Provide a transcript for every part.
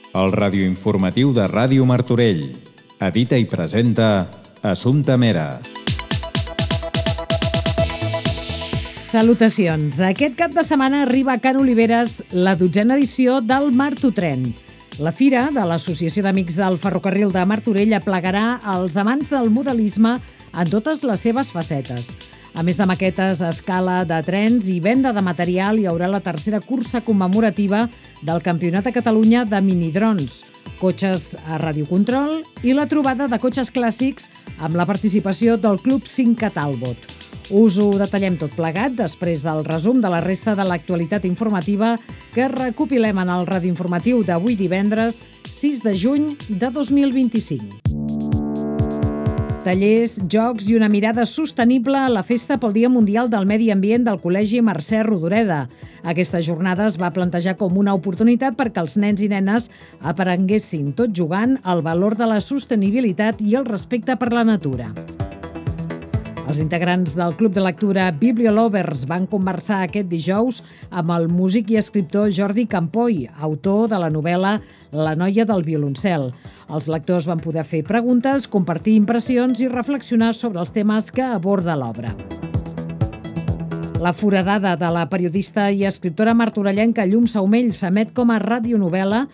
El radioinformatiu de Ràdio Martorell. Edita i presenta Assumpta Mera. Salutacions. Aquest cap de setmana arriba a Can Oliveres la 12a edició del Martotren. La fira de l'Associació d'Amics del Ferrocarril de Martorell aplegarà els amants del modelisme en totes les seves facetes. A més de maquetes a escala de trens i venda de material, hi haurà la tercera cursa commemorativa del Campionat de Catalunya de minidrons, cotxes a radiocontrol i la trobada de cotxes clàssics amb la participació del Club 5 Talbot. Us ho detallem tot plegat després del resum de la resta de l'actualitat informativa que recopilem en el radioinformatiu d'avui divendres 6 de juny de 2025. Tallers, jocs i una mirada sostenible a la Festa pel Dia Mundial del Medi Ambient del Col·legi Mercè Rodoreda. Aquesta jornada es va plantejar com una oportunitat perquè els nens i nenes aprenguessin tot jugant el valor de la sostenibilitat i el respecte per la natura. Els integrants del Club de Lectura Bibliolovers van conversar aquest dijous amb el músic i escriptor Jordi Campoy, autor de la novel·la La noia del violoncel. Els lectors van poder fer preguntes, compartir impressions i reflexionar sobre els temes que aborda l'obra. La foradada de la periodista i escriptora martorellenca Llum Saumell s'emet com a radionovel·la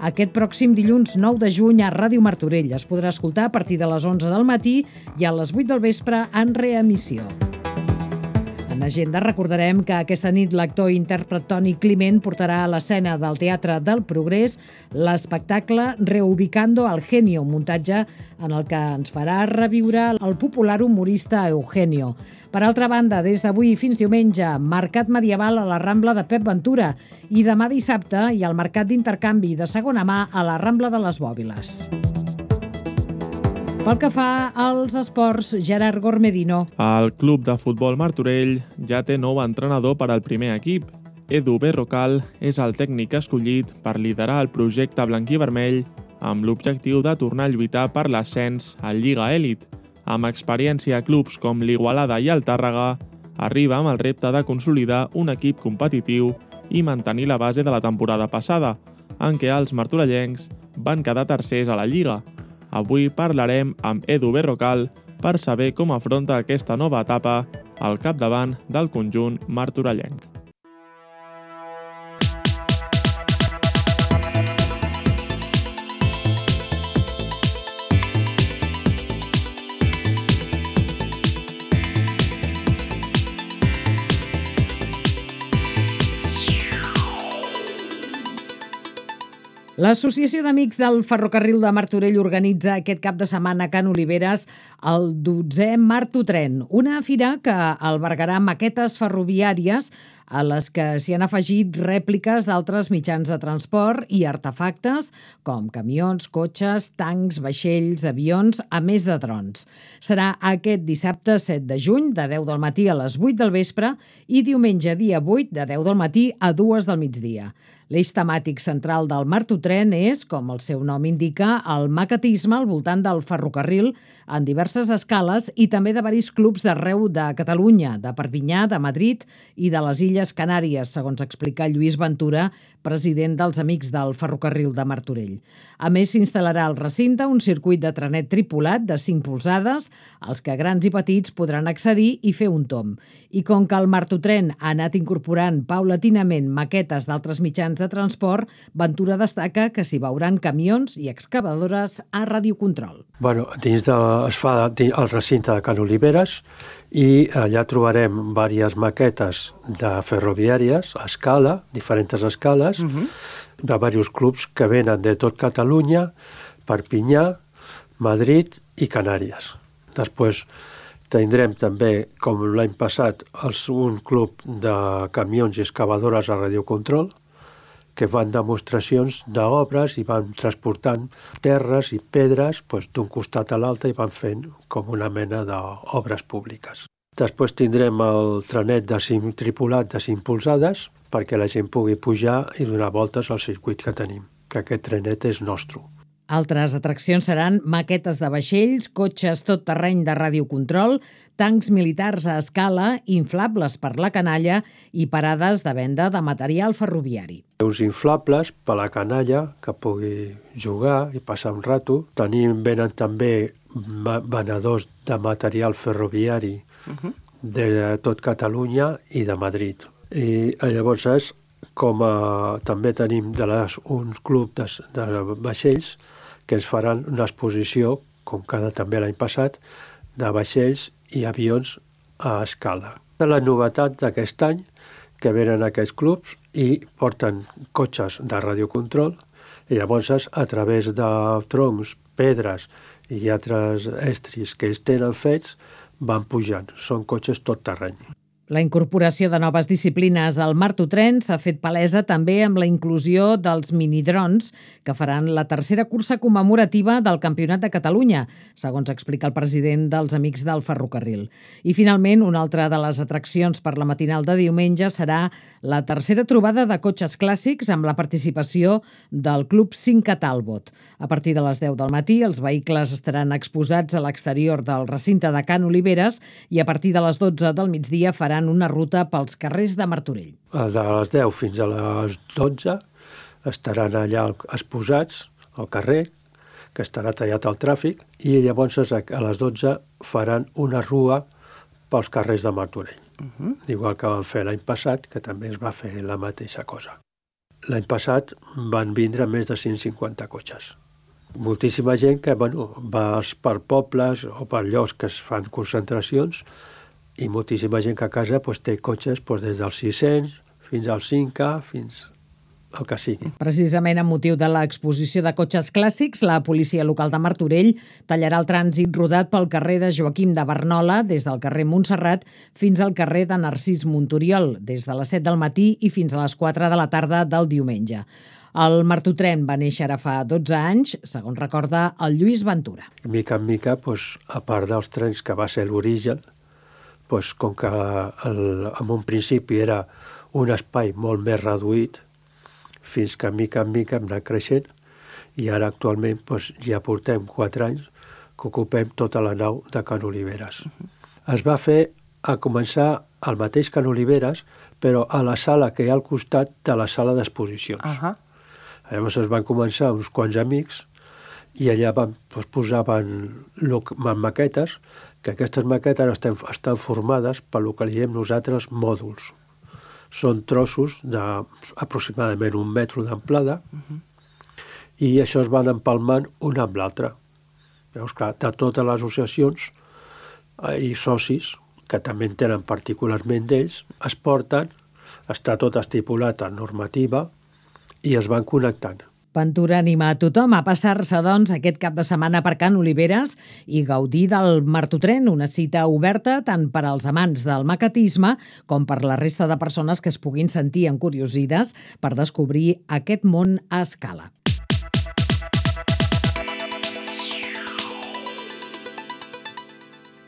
aquest pròxim dilluns 9 de juny a Ràdio Martorell. Es podrà escoltar a partir de les 11 del matí i a les 8 del vespre en reemissió. En agenda recordarem que aquesta nit l'actor i intèrpret Toni Climent portarà a l'escena del Teatre del Progrés l'espectacle Reubicando al Genio, un muntatge en el que ens farà reviure el popular humorista Eugenio. Per altra banda, des d'avui fins diumenge, mercat medieval a la Rambla de Pep Ventura i demà dissabte hi ha el mercat d'intercanvi de segona mà a la Rambla de les Bòbiles. Pel que fa als esports, Gerard Gormedino. El Club de Futbol Martorell ja té nou entrenador per al primer equip. Edu Berrocal és el tècnic escollit per liderar el projecte blanquí-vermell amb l'objectiu de tornar a lluitar per l'ascens a Lliga Elit. Amb experiència a clubs com l'Igualada i el Tàrrega, arriba amb el repte de consolidar un equip competitiu i mantenir la base de la temporada passada, en què els martorellencs van quedar tercers a la Lliga. Avui parlarem amb Edu Berrocal per saber com afronta aquesta nova etapa al capdavant del conjunt martorellenc. L'Associació d'Amics del Ferrocarril de Martorell organitza aquest cap de setmana a Can Oliveres el 12è Martotren, una fira que albergarà maquetes ferroviàries a les que s'hi han afegit rèpliques d'altres mitjans de transport i artefactes com camions, cotxes, tancs, vaixells, avions, a més de drons. Serà aquest dissabte 7 de juny de 10 del matí a les 8 del vespre i diumenge dia 8 de 10 del matí a 2 del migdia. L'eix temàtic central del Martotren és, com el seu nom indica, el maquetisme al voltant del ferrocarril en diverses escales i també de varis clubs d'arreu de Catalunya, de Perpinyà, de Madrid i de les Illes Canàries, segons explica Lluís Ventura, president dels Amics del Ferrocarril de Martorell. A més, s'instal·larà al recinte un circuit de trenet tripulat de 5 polzades, als que grans i petits podran accedir i fer un tomb. I com que el Martotren ha anat incorporant paulatinament maquetes d'altres mitjans de transport, Ventura destaca que s'hi veuran camions i excavadores a radiocontrol. Es fa al recinte de Can Oliveres i allà trobarem diverses maquetes de ferroviàries a escala, diferents escales, de diversos clubs que venen de tot Catalunya, Perpinyà, Madrid i Canàries. Després tindrem també, com l'any passat, un club de camions i excavadores a radiocontrol, que fan demostracions d'obres i van transportant terres i pedres d'un costat a l'altre i van fent com una mena d'obres públiques. Després tindrem el trenet tripulat de 5 polzades perquè la gent pugui pujar i donar voltes al circuit que tenim, que aquest trenet és nostre. Altres atraccions seran maquetes de vaixells, cotxes tot terreny de radiocontrol, tancs militars a escala, inflables per la canalla i parades de venda de material ferroviari. Uns inflables per la canalla que pugui jugar i passar un rato. Venen també venedors de material ferroviari de tot Catalunya i de Madrid. I llavors també tenim uns clubs de vaixells que ens faran una exposició, com també l'any passat, de vaixells i avions a escala. La novetat d'aquest any, que venen aquests clubs i porten cotxes de radiocontrol i llavors a través de troncs, pedres i altres estris que ells tenen fets van pujant. Són cotxes tot terreny. La incorporació de noves disciplines al Martutren s'ha fet palesa també amb la inclusió dels minidrons que faran la tercera cursa commemorativa del Campionat de Catalunya, segons explica el president dels Amics del Ferrocarril. I finalment, una altra de les atraccions per la matinal de diumenge serà la tercera trobada de cotxes clàssics amb la participació del Club Cinca Talbot. A partir de les 10 del matí, els vehicles estaran exposats a l'exterior del recinte de Can Oliveres i a partir de les 12 del migdia faran una ruta pels carrers de Martorell. De les 10 fins a les 12 estaran allà exposats al carrer, que estarà tallat el tràfic, i llavors a les 12 faran una rua pels carrers de Martorell. Igual que van fer l'any passat, que també es va fer la mateixa cosa. L'any passat van vindre més de 150 cotxes. Moltíssima gent que va per pobles o per llocs que es fan concentracions, i moltíssima gent que a casa té cotxes des dels 600 fins als 5K, fins al que sigui. Precisament amb motiu de l'exposició de cotxes clàssics, la policia local de Martorell tallarà el trànsit rodat pel carrer de Joaquim de Barnola, des del carrer Montserrat fins al carrer de Narcís Montoriol, des de les 7 del matí i fins a les 4 de la tarda del diumenge. El Martutren va néixer ara fa 12 anys, segons recorda el Lluís Ventura. Mica en mica, a part dels trens que va ser l'origen, com que en un principi era un espai molt més reduït, fins que mica en mica hem anat creixent, i ara actualment ja portem 4 anys que ocupem tota la nau de Can Oliveres. Es va fer a començar al mateix Can Oliveres, però a la sala que hi ha al costat de la sala d'exposicions. Llavors es van començar uns quants amics i allà posaven maquetes, que aquestes maquetes estan formades per el que diem nosaltres mòduls. Són trossos d'aproximadament 1 metre d'amplada i això es van empalmant un amb l'altre. Llavors, clar, de totes les associacions i socis, que també en tenen particularment d'ells, es porten, està tot estipulat en normativa i es van connectant. Ventura anima a tothom a passar-se, doncs, aquest cap de setmana per Can Oliveres i gaudir del Martutren, una cita oberta tant per als amants del maquetisme com per la resta de persones que es puguin sentir encuriosides per descobrir aquest món a escala.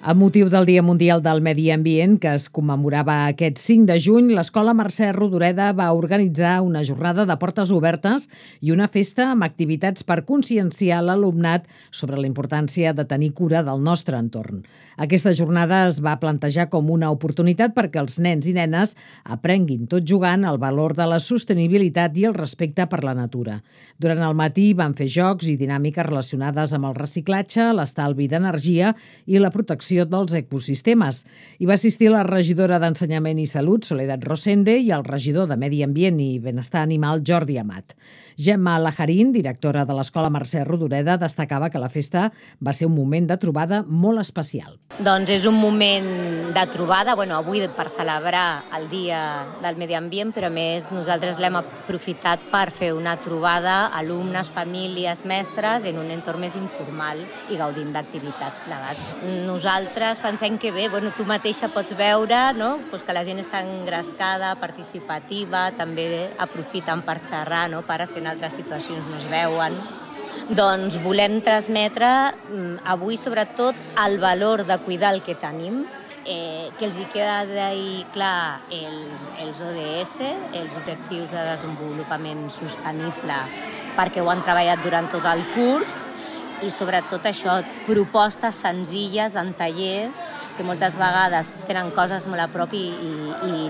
Amb motiu del Dia Mundial del Medi Ambient, que es commemorava aquest 5 de juny, l'Escola Mercè Rodoreda va organitzar una jornada de portes obertes i una festa amb activitats per conscienciar l'alumnat sobre la importància de tenir cura del nostre entorn. Aquesta jornada es va plantejar com una oportunitat perquè els nens i nenes aprenguin tot jugant el valor de la sostenibilitat i el respecte per la natura. Durant el matí van fer jocs i dinàmiques relacionades amb el reciclatge, l'estalvi d'energia i la protecció dels ecosistemes. Hi va assistir la regidora d'Ensenyament i Salut, Soledad Rosende, i el regidor de Medi Ambient i Benestar Animal, Jordi Amat. Gemma Lajarín, directora de l'Escola Mercè Rodoreda, destacava que la festa va ser un moment de trobada molt especial. Doncs és un moment de trobada, avui per celebrar el Dia del Medi Ambient, però a més nosaltres l'hem aprofitat per fer una trobada alumnes, famílies, mestres en un entorn més informal i gaudint d'activitats plegats. Nosaltres pensem que bé, tu mateixa pots veure, no? Que la gent està engrescada, participativa, també aprofiten per xerrar, pares que en altres situacions no es veuen. Doncs volem transmetre avui sobretot el valor de cuidar el que tenim, que els hi queda d'ahir clar els ODS, els Objectius de Desenvolupament Sostenible, perquè ho han treballat durant tot el curs, i sobretot això, propostes senzilles en tallers que moltes vegades tenen coses molt a prop i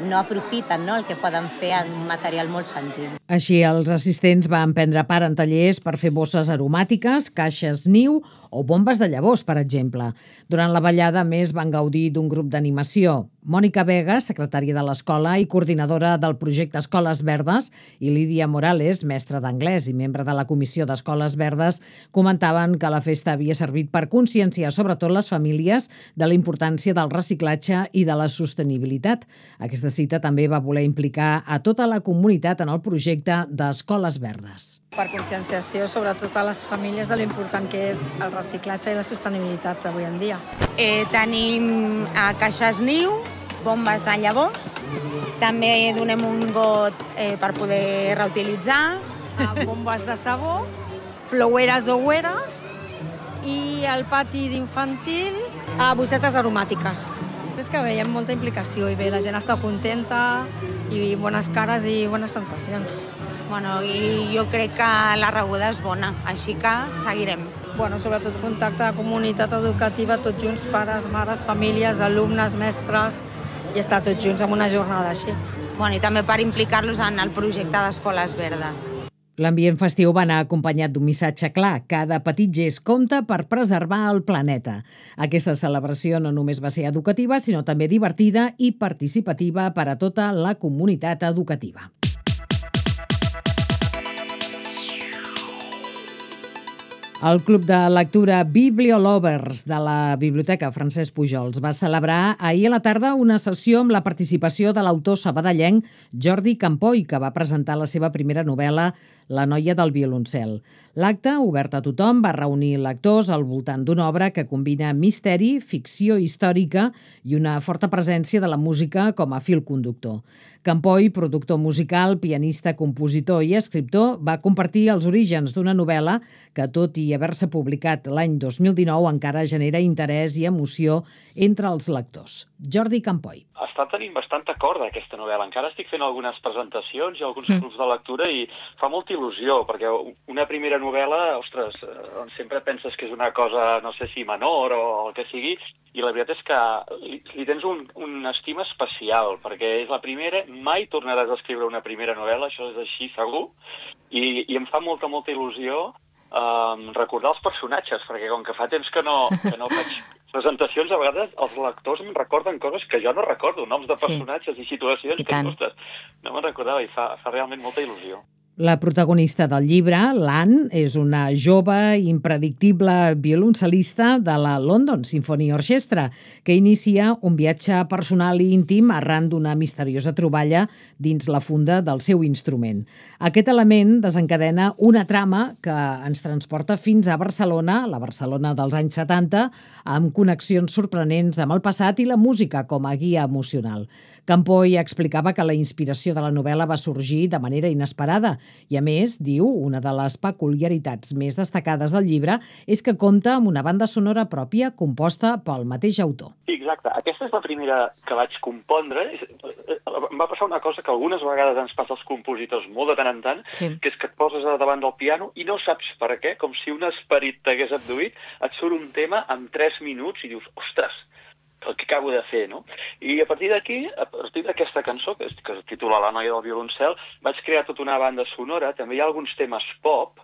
no aprofiten, no?, el que poden fer en un material molt senzill. Així, els assistents van prendre part en tallers per fer bosses aromàtiques, caixes niu o bombes de llavors, per exemple. Durant la ballada, a més, van gaudir d'un grup d'animació. Mònica Vega, secretària de l'escola i coordinadora del projecte Escoles Verdes, i Lídia Morales, mestra d'anglès i membre de la Comissió d'Escoles Verdes, comentaven que la festa havia servit per conscienciar sobretot les famílies de la importància del reciclatge i de la sostenibilitat. Aquesta cita també va voler implicar a tota la comunitat en el projecte d'Escoles Verdes. Per conscienciació, sobretot a les famílies, de l'important que és el reciclatge i la sostenibilitat avui en dia. Tenim caixes niu, bombes de llavors, també donem un got per poder reutilitzar, Bombes de sabó, flowers o güeres, i al pati d'infantil bossetes aromàtiques. És que veiem molta implicació i bé, la gent està contenta i bones cares i bones sensacions. Bueno, i jo crec que la rebuda és bona, així que seguirem. Bueno, sobretot contacte de comunitat educativa, tots junts, pares, mares, famílies, alumnes, mestres, i estar tots junts en una jornada així. Bueno, i també per implicar-los en el projecte d'Escoles Verdes. L'ambient festiu va anar acompanyat d'un missatge clar. Cada petit gest compta per preservar el planeta. Aquesta celebració no només va ser educativa, sinó també divertida i participativa per a tota la comunitat educativa. El Club de Lectura Bibliolovers de la Biblioteca Francesc Pujols va celebrar ahir a la tarda una sessió amb la participació de l'autor sabadellenc Jordi Campoy, que va presentar la seva primera novel·la La noia del violoncel. L'acte, obert a tothom, va reunir lectors al voltant d'una obra que combina misteri, ficció històrica i una forta presència de la música com a fil conductor. Campoy, productor musical, pianista, compositor i escriptor, va compartir els orígens d'una novel·la que, tot i haver-se publicat l'any 2019, encara genera interès i emoció entre els lectors. Jordi Campoy. Està tenint bastant acord aquesta novel·la. Encara estic fent algunes presentacions i alguns grups de lectura i fa molta il·lusió, perquè una primera novel·la, ostres, sempre penses que és una cosa, no sé si menor o el que sigui, i la veritat és que li tens una estima especial, perquè és la primera, mai tornaràs a escriure una primera novel·la, això és així segur, i em fa molta il·lusió recordar els personatges, perquè com que fa temps que no faig presentacions, a vegades els lectors em recorden coses que jo no recordo, noms de personatges i situacions que, ostres, no me'n recordava i fa realment molta il·lusió. La protagonista del llibre, l'Anne, és una jove i impredictible violoncel·lista de la London Symphony Orchestra, que inicia un viatge personal i íntim arran d'una misteriosa troballa dins la funda del seu instrument. Aquest element desencadena una trama que ens transporta fins a Barcelona, la Barcelona dels anys 70, amb connexions sorprenents amb el passat i la música com a guia emocional. Campoy explicava que la inspiració de la novel·la va sorgir de manera inesperada i, a més, diu, una de les peculiaritats més destacades del llibre és que compta amb una banda sonora pròpia composta pel mateix autor. Sí, exacte. Aquesta és la primera que vaig compondre. Em va passar una cosa que algunes vegades ens passa als compositors molt de tant en tant, que és que et poses davant del piano i no saps per què, com si un esperit t'hagués abduït, et surt un tema en 3 minuts i dius, ostres, el que acabo de fer, no? I a partir d'aquí, a partir d'aquesta cançó, que es titula La noia del violoncel, vaig crear tota una banda sonora, també hi ha alguns temes pop,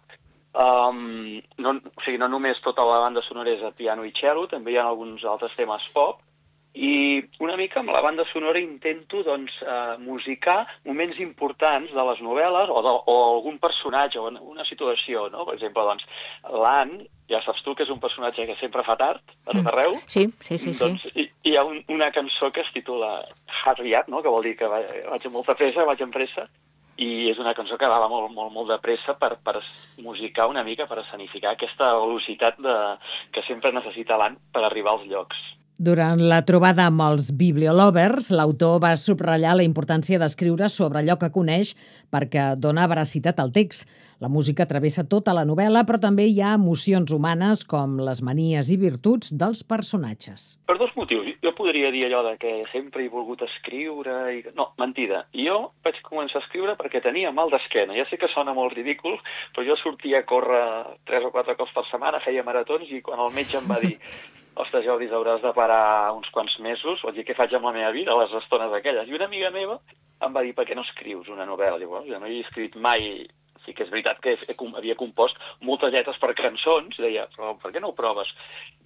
no només tota la banda sonora és a piano i cello, també hi ha alguns altres temes pop, i una mica amb la banda sonora intento musicar moments importants de les novel·les o algun personatge o una situació, no? Per exemple, l'Anne, ja saps tu que és un personatge que sempre fa tard, a tot arreu. Sí. Doncs hi ha una cançó que es titula Hurry Up, no? Que vol dir que vaig amb molta pressa, vaig amb pressa, i és una cançó que va molt de pressa per musicar una mica, per escenificar aquesta velocitat que sempre necessita l'Anne per arribar als llocs. Durant la trobada amb els bibliolovers, l'autor va subratllar la importància d'escriure sobre allò que coneix perquè dona veracitat al text. La música travessa tota la novel·la, però també hi ha emocions humanes com les manies i virtuts dels personatges. Per dos motius. Jo podria dir allò de que sempre he volgut escriure... No, mentida. Jo vaig començar a escriure perquè tenia mal d'esquena. Ja sé que sona molt ridícul, però jo sortia a córrer 3 o 4 cops per setmana, feia maratons, i quan el metge em va dir ostres, Jordi, hauràs de parar uns quants mesos, vaig dir, què faig amb la meva vida a les estones aquelles? I una amiga meva em va dir, per què no escrius una novel·la? Llavors, jo no he escrit mai... Sí que és veritat que havia compost moltes lletres per cançons, deia, però per què no ho proves?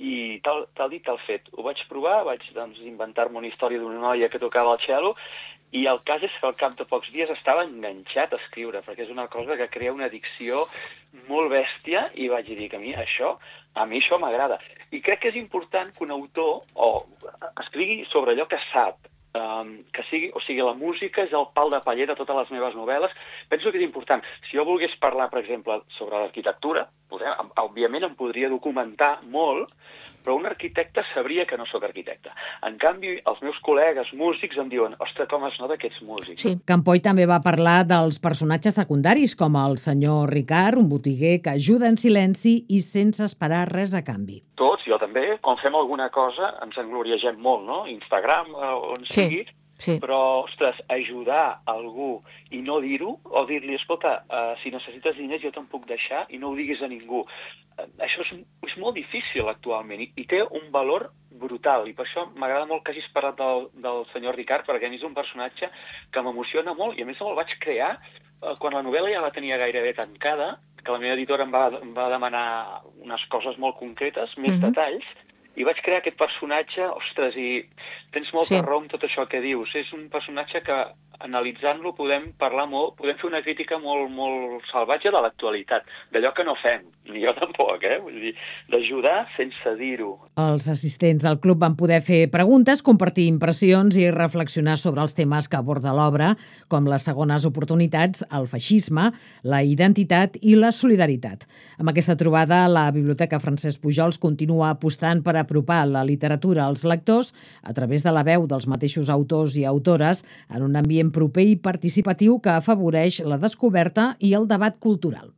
I tal dit, tal fet. Ho vaig provar, vaig inventar-me una història d'una noia que tocava el cello, i el cas és que al cap de pocs dies estava enganxat a escriure, perquè és una cosa que crea una addicció molt bèstia, i vaig dir que a mi això m'agrada. I crec que és important que un autor escrigui sobre allò que sap, la música és el pal de paller de totes les meves novel·les. Penso que és important. Si jo volgués parlar, per exemple, sobre l'arquitectura, òbviament em podria documentar molt, però un arquitecte sabria que no sóc arquitecte. En canvi, els meus col·legues músics em diuen, ostres, com es nota que ets músic. Sí. Campoy també va parlar dels personatges secundaris, com el senyor Ricard, un botiguer que ajuda en silenci i sense esperar res a canvi. Tots, jo també, quan fem alguna cosa, ens engloriegem molt, no? Instagram, on sigui, Sí. Però, ostres, ajudar algú i no dir-ho, o dir-li, escolta, si necessites diners jo te'n puc deixar i no ho diguis a ningú. Això és molt difícil actualment i té un valor brutal, i per això m'agrada molt que hagis parlat del senyor Ricard, perquè a mi és un personatge que m'emociona molt, i a més el vaig crear quan la novel·la ja la tenia gairebé tancada, que la meva editora em va demanar unes coses molt concretes, més detalls, i vaig crear aquest personatge, ostres, i tens molta raó amb tot això que dius. És un personatge que, analitzant-lo, podem parlar molt, podem fer una crítica molt, molt salvatge de l'actualitat, d'allò que no fem, ni jo tampoc, vull dir, d'ajudar sense dir-ho. Els assistents al club van poder fer preguntes, compartir impressions i reflexionar sobre els temes que aborda l'obra, com les segones oportunitats, el feixisme, la identitat i la solidaritat. Amb aquesta trobada, la Biblioteca Francesc Pujols continua apostant per apropar la literatura als lectors a través de la veu dels mateixos autors i autores en un ambient proper i participatiu que afavoreix la descoberta i el debat cultural.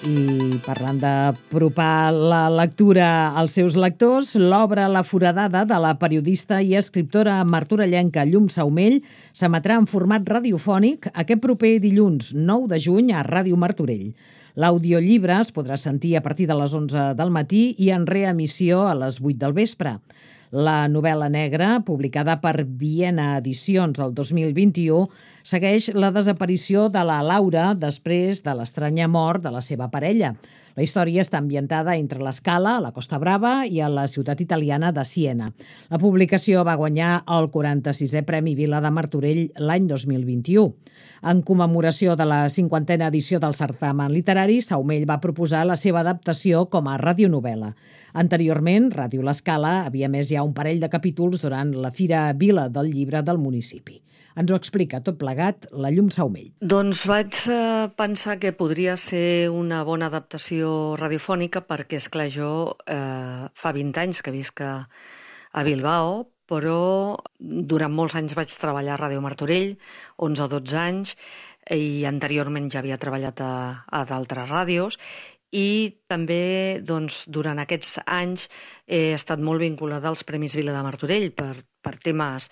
I parlant d'apropar la lectura als seus lectors, l'obra La foradada de la periodista i escriptora martorellenca Llum Saumell s'emetrà en format radiofònic aquest proper dilluns 9 de juny a Ràdio Martorell. L'audiollibre es podrà sentir a partir de les 11 del matí i en reemissió a les 8 del vespre. La novel·la negra, publicada per Viena Edicions el 2021, segueix la desaparició de la Laura després de l'estranya mort de la seva parella. La història està ambientada entre l'Escala, a la Costa Brava, i a la ciutat italiana de Siena. La publicació va guanyar el 46è Premi Vila de Martorell l'any 2021. En commemoració de la 50a edició del certamen literari, Saumell va proposar la seva adaptació com a radionovel·la. Anteriorment, Ràdio L'Escala havia emès ja un parell de capítols durant la Fira Vila del Llibre del municipi. Ens ho explica tot plegat la Llum Saumell. Doncs vaig pensar que podria ser una bona adaptació radiofònica perquè, esclar, jo fa 20 anys que visc a Bilbao, però durant molts anys vaig treballar a Ràdio Martorell, 11 o 12 anys, i anteriorment ja havia treballat a d'altres ràdios, i també durant aquests anys he estat molt vinculada als Premis Vila de Martorell per temes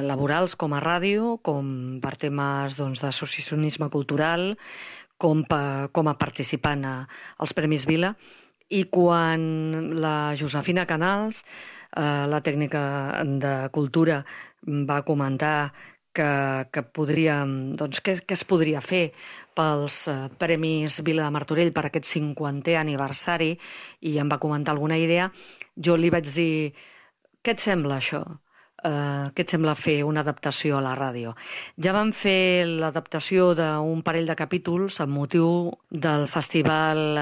laborals com a ràdio, com per temes d'associacionisme cultural, com a participant als Premis Vila. I quan la Josefina Canals, la tècnica de cultura, va comentar que podríem, què es podria fer pels Premis Vila de Martorell per aquest 50è aniversari, i em va comentar alguna idea, jo li vaig dir, què et sembla això? Què et sembla fer una adaptació a la ràdio? Ja vam fer l'adaptació d'un parell de capítols amb motiu del festival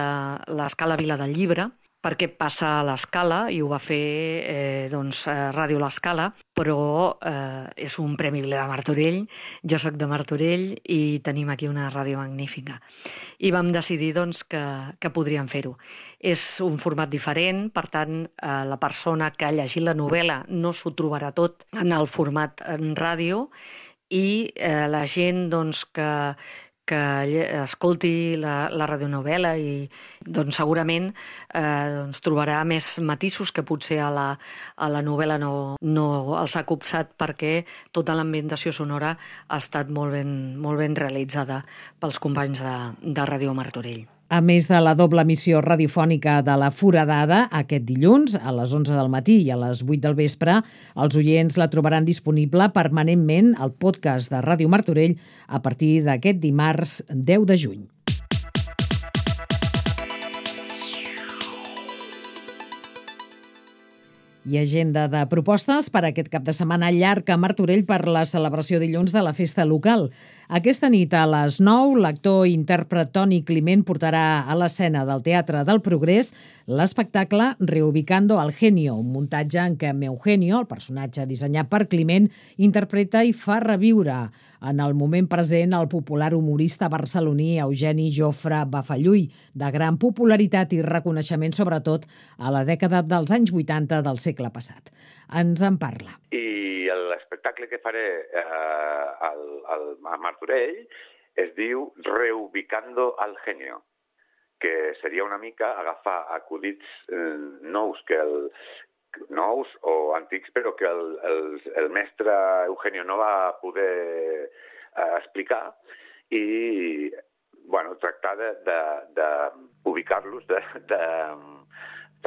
L'Escala Vila del Llibre, perquè passa a l'Escala i ho va fer Ràdio l'Escala, però és un Premi Vila de Martorell, jo sóc de Martorell i tenim aquí una ràdio magnífica. I vam decidir que podríem fer-ho. És un format diferent, per tant, la persona que ha llegit la novel·la no s'ho trobarà tot en el format en ràdio i la gent que escolti la radionovel·la i segurament trobarà més matisos que potser a la novel·la no els ha copsat, perquè tota l'ambientació sonora ha estat molt ben realitzada pels companys de Ràdio Martorell. A més de la doble emissió radiofònica de La Foradada, aquest dilluns, a les 11 del matí i a les 8 del vespre, els oients la trobaran disponible permanentment al podcast de Ràdio Martorell a partir d'aquest dimarts 10 de juny. I agenda de propostes per aquest cap de setmana llarg a Martorell per la celebració dilluns de la festa local. Aquesta nit a les 9, l'actor i intèrpret Toni Climent portarà a l'escena del Teatre del Progrés l'espectacle Reubicando al Genio, un muntatge en què Eugenio, el personatge dissenyat per Climent, interpreta i fa reviure en el moment present el popular humorista barceloní Eugeni Jofre Bafalluy, de gran popularitat i reconeixement sobretot a la dècada dels anys 80 del segle passat. Ens en parla. I l'espectacle que faré a Martorell es diu Reubicando al Genio, que seria una mica agafar acudits nous o antics, però que el mestre Eugenio no va poder explicar i tractar d'ubicar-los, de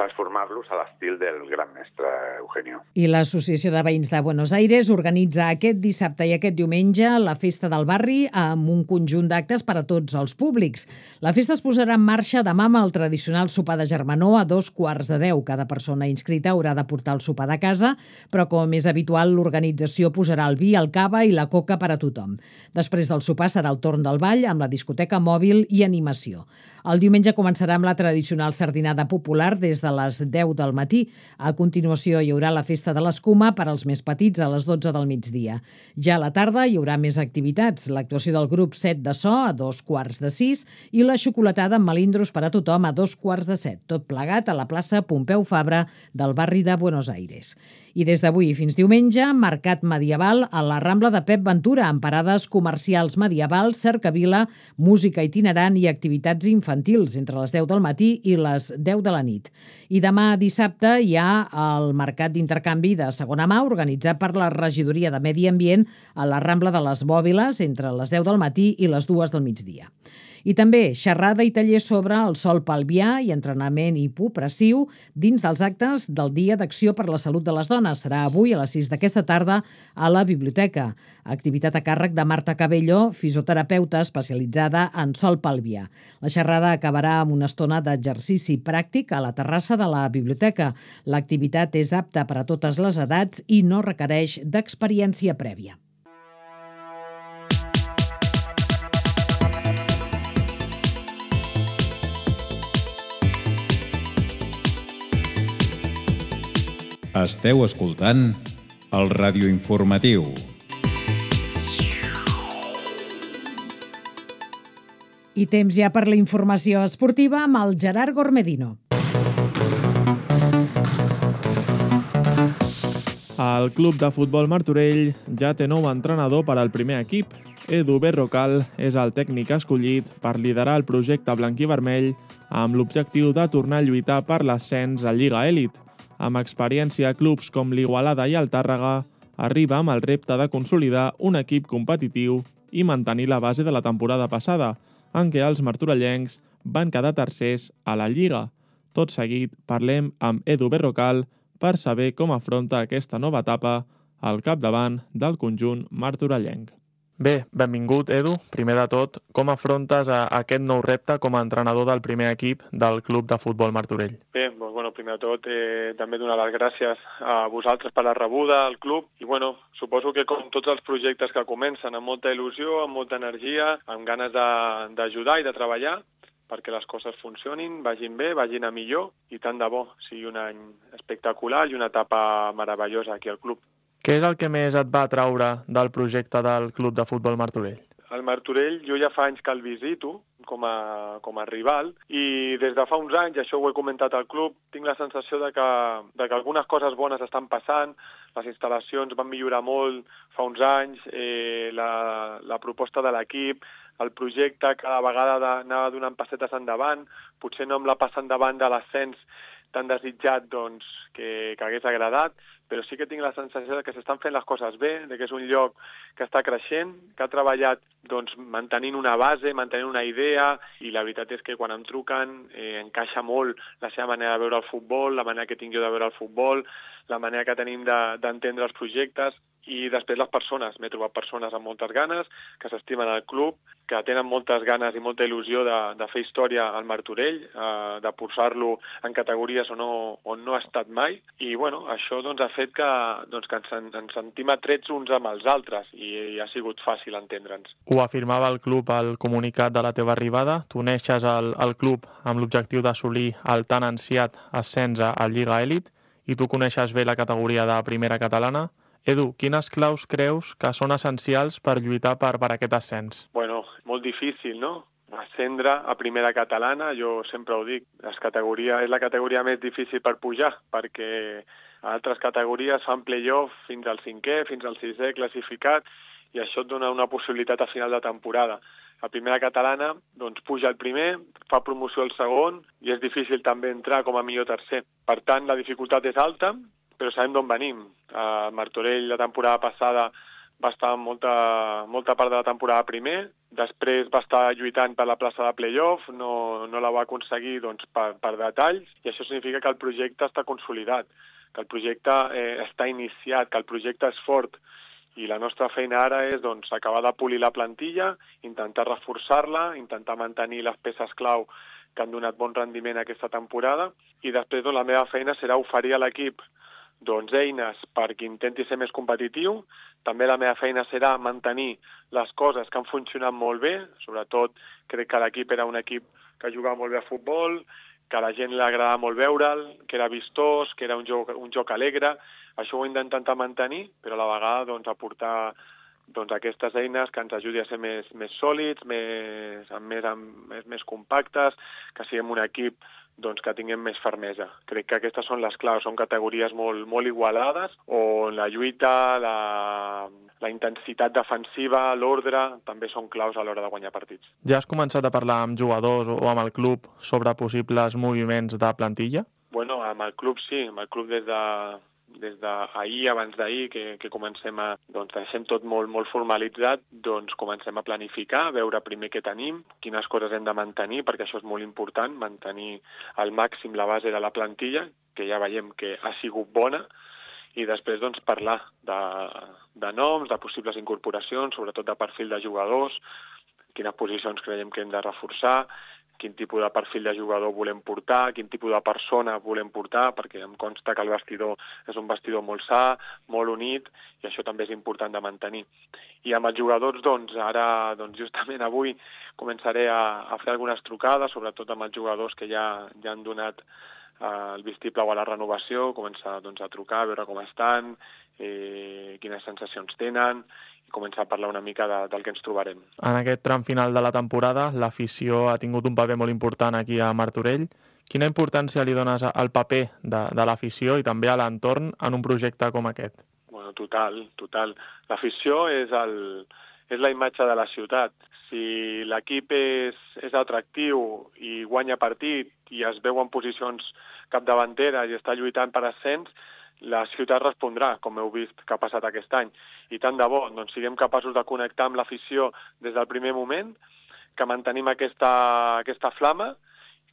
transformar-los a l'estil del gran mestre Eugenio. I l'Associació de Veïns de Buenos Aires organitza aquest dissabte i aquest diumenge la Festa del Barri amb un conjunt d'actes per a tots els públics. La festa es posarà en marxa demà amb el tradicional sopar de germanor a 9:45. Cada persona inscrita haurà de portar el sopar de casa, però com és habitual, l'organització posarà el vi, el cava i la coca per a tothom. Després del sopar serà el torn del ball amb la discoteca mòbil i animació. El diumenge començarà amb la tradicional sardinada popular des de les 10 del matí. A continuació hi haurà la festa de l'escuma per als més petits a les 12 del migdia. Ja a la tarda hi haurà més activitats, l'actuació del grup 7 de so a 5:45 i la xocolatada amb melindros per a tothom a 5:45, tot plegat a la plaça Pompeu Fabra del barri de Buenos Aires. I des d'avui fins diumenge, mercat medieval a la Rambla de Pep Ventura, amb parades comercials medievals, cercavila, música itinerant i activitats infantils entre les 10 del matí i les 10 de la nit. I demà dissabte hi ha el mercat d'intercanvi de segona mà organitzat per la Regidoria de Medi Ambient a la Rambla de les Bòbiles entre les 10 del matí i les 2 del migdia. I també xerrada i taller sobre el sol pelvià i entrenament hipopressiu dins dels actes del Dia d'Acció per la Salut de les Dones. Serà avui a les 6 d'aquesta tarda a la biblioteca. Activitat a càrrec de Marta Cabello, fisioterapeuta especialitzada en sol pelvià. La xerrada acabarà amb una estona d'exercici pràctic a la terrassa de la biblioteca. L'activitat és apta per a totes les edats i no requereix d'experiència prèvia. Esteu escoltant el radioinformatiu. I temps ja per la informació esportiva amb el Gerard Gormedino. El club de futbol Martorell ja té nou entrenador per al primer equip. Edu Berrocal és el tècnic escollit per liderar el projecte blanc-i-vermell amb l'objectiu de tornar a lluitar per l'ascens a Lliga Elit. Amb experiència a clubs com l'Igualada i el Tàrrega, arriba amb el repte de consolidar un equip competitiu i mantenir la base de la temporada passada, en què els martorellencs van quedar tercers a la Lliga. Tot seguit parlem amb Edu Berrocal per saber com afronta aquesta nova etapa al capdavant del conjunt martorellenc. Bé, benvingut, Edu. Primer de tot, com afrontes aquest nou repte com a entrenador del primer equip del Club de Futbol Martorell? Bé, doncs, primer de tot, també donar les gràcies a vosaltres per la rebuda al club i suposo que com tots els projectes que comencen, amb molta il·lusió, amb molta energia, amb ganes d'ajudar i de treballar, perquè les coses funcionin, vagin bé, vagin a millor, i tant de bo sigui un any espectacular i una etapa meravellosa aquí al club. Què és el que més et va atraure del projecte del Club de Futbol Martorell? El Martorell jo ja fa anys que el visito com a rival i des de fa uns anys, això ho he comentat al club, tinc la sensació de que algunes coses bones estan passant, les instal·lacions van millorar molt fa uns anys, la proposta de l'equip, el projecte cada vegada anava donant passetes endavant, potser no amb la passa endavant de l'ascens tan desitjat doncs, que hagués agradat, però sí que tinc la sensació de que s'estan fent les coses bé, de que és un lloc que està creixent, que ha treballat doncs, mantenint una base, mantenint una idea, i la veritat és que quan em truquen encaixa molt la seva manera de veure el futbol, la manera que tinc jo de veure el futbol, la manera que tenim d'entendre els projectes, i després les persones. M'he trobat persones amb moltes ganes, que s'estimen al club, que tenen moltes ganes i molta il·lusió de fer història al Martorell, de posar-lo en categories on no ha estat mai, i bueno, això doncs, ha fet que ens sentim atrets uns amb els altres, i ha sigut fàcil entendre'ns. Ho afirmava el club al comunicat de la teva arribada. Tu neixes al club amb l'objectiu d'assolir el tan ansiat ascens a Lliga Elit, i tu coneixes bé la categoria de primera catalana. Edu, quines claus creus que són essencials per lluitar per aquest ascens? Bueno, molt difícil, no? Ascendre a primera catalana, jo sempre ho dic, és la categoria més difícil per pujar, perquè altres categories fan play-off fins al 5è, fins al 6è classificat, i això et dona una possibilitat a final de temporada. A primera catalana, doncs puja el primer, fa promoció al segon, i és difícil també entrar com a millor tercer. Per tant, la dificultat és alta, però sabem d'on venim. A Martorell la temporada passada va estar molta part de la temporada primer, després va estar lluitant per la plaça de play-off, no la va aconseguir doncs, per detalls, i això significa que el projecte està consolidat, que el projecte està iniciat, que el projecte és fort, i la nostra feina ara és doncs, acabar de polir la plantilla, intentar reforçar-la, intentar mantenir les peces clau que han donat bon rendiment aquesta temporada, i després doncs, la meva feina serà oferir a l'equip doncs, eines perquè intenti ser més competitiu. També la meva feina serà mantenir les coses que han funcionat molt bé, sobretot crec que l'equip era un equip que jugava molt bé a futbol, que a la gent li agradava molt veure'l, que era vistós, que era un joc alegre. Això ho he d'intentar mantenir, però a la vegada doncs, aportar doncs, aquestes eines que ens ajudi a ser més sòlids, més compactes, que siguem un equip doncs, que tinguem més fermesa. Crec que aquestes són les claus, són categories molt igualades, on la lluita, la intensitat defensiva, l'ordre, també són claus a l'hora de guanyar partits. Ja has començat a parlar amb jugadors o amb el club sobre possibles moviments de plantilla? Bueno, amb el club sí, amb el club des d'ahir, abans d'ahir, que comencem doncs deixem tot molt formalitzat, doncs comencem a planificar, a veure primer què tenim, quines coses hem de mantenir, perquè això és molt important, mantenir al màxim la base de la plantilla, que ja veiem que ha sigut bona, i després doncs parlar de noms, de possibles incorporacions, sobretot de perfil de jugadors, quines posicions creiem que hem de reforçar, quin tipus de perfil de jugador volem portar, quin tipus de persona volem portar, perquè em consta que el vestidor és un vestidor molt sa, molt unit, i això també és important de mantenir. I amb els jugadors, doncs, ara, justament avui, començaré a fer algunes trucades, sobretot amb els jugadors que ja han donat el vistiplau a la renovació, començar doncs, a trucar, a veure com estan, quines sensacions tenen, i començar a parlar una mica del que ens trobarem. En aquest tram final de la temporada, l'afició ha tingut un paper molt important aquí a Martorell. Quina importància li dones al paper de l'afició i també a l'entorn en un projecte com aquest? Bueno, total. L'afició és la imatge de la ciutat. Si l'equip és atractiu i guanya partit i es veu en posicions capdavanteres i està lluitant per ascens, la ciutat respondrà, com heu vist que ha passat aquest any. I tant de bo, doncs siguem capaços de connectar amb l'afició des del primer moment, que mantenim aquesta flama,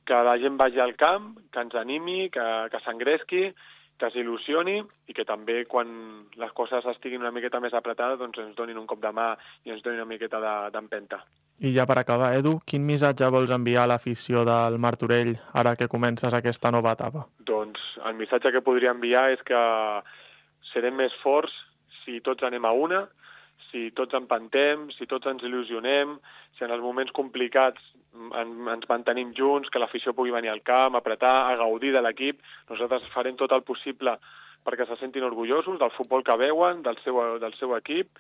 que la gent vagi al camp, que ens animi, que s'engresqui, que s'il·lusioni i que també quan les coses estiguin una miqueta més apretades doncs ens donin un cop de mà i ens donin una miqueta d'empenta. I ja per acabar, Edu, quin missatge vols enviar a l'afició del Martorell ara que comences aquesta nova etapa? Doncs el missatge que podria enviar és que serem més forts si tots anem a una, si si tots empantem, si tots ens il·lusionem, si en els moments complicats ens mantenim junts, que l'afició pugui venir al camp, apretar, a gaudir de l'equip. Nosaltres farem tot el possible perquè se sentin orgullosos del futbol que veuen, del seu equip,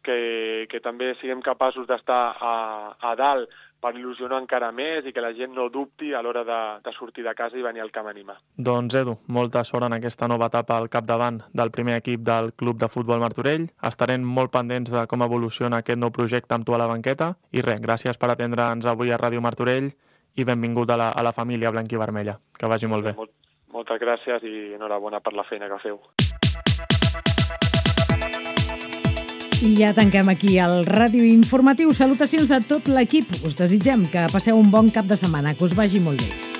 que també siguem capaços d'estar a dalt per il·lusionar encara més i que la gent no dubti a l'hora de sortir de casa i venir al camp a animar. Doncs Edu, molta sort en aquesta nova etapa al capdavant del primer equip del Club de Futbol Martorell. Estarem molt pendents de com evoluciona aquest nou projecte amb tu a la banqueta. I res, gràcies per atendre'ns avui a Ràdio Martorell i benvingut a la família blanquivermella. Que vagi molt bé. Moltes gràcies i enhorabona per la feina que feu. I ja tanquem aquí el Ràdio Informatiu. Salutacions de tot l'equip. Us desitgem que passeu un bon cap de setmana, que us vagi molt bé.